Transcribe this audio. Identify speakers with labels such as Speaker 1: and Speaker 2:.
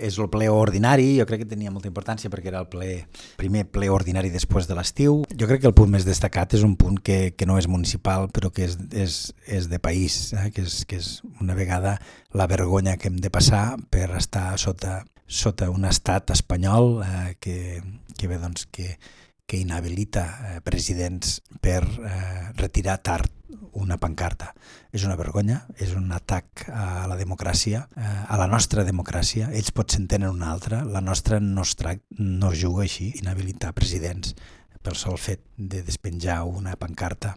Speaker 1: És el ple ordinari, jo crec que tenia molta importància perquè era el primer ple ordinari després de l'estiu. Jo crec que el punt més destacat és un punt que no és municipal, però que és de país, que és una vegada la vergonya que hem de passar per estar sota un estat espanyol que inhabilita presidents per retirar tard una pancarta. És una vergonya, és un atac a la democràcia, a la nostra democràcia. Ells potser en tenen una altra, la nostra no es juga així, inhabilitar presidents pel sol fet de despenjar una pancarta.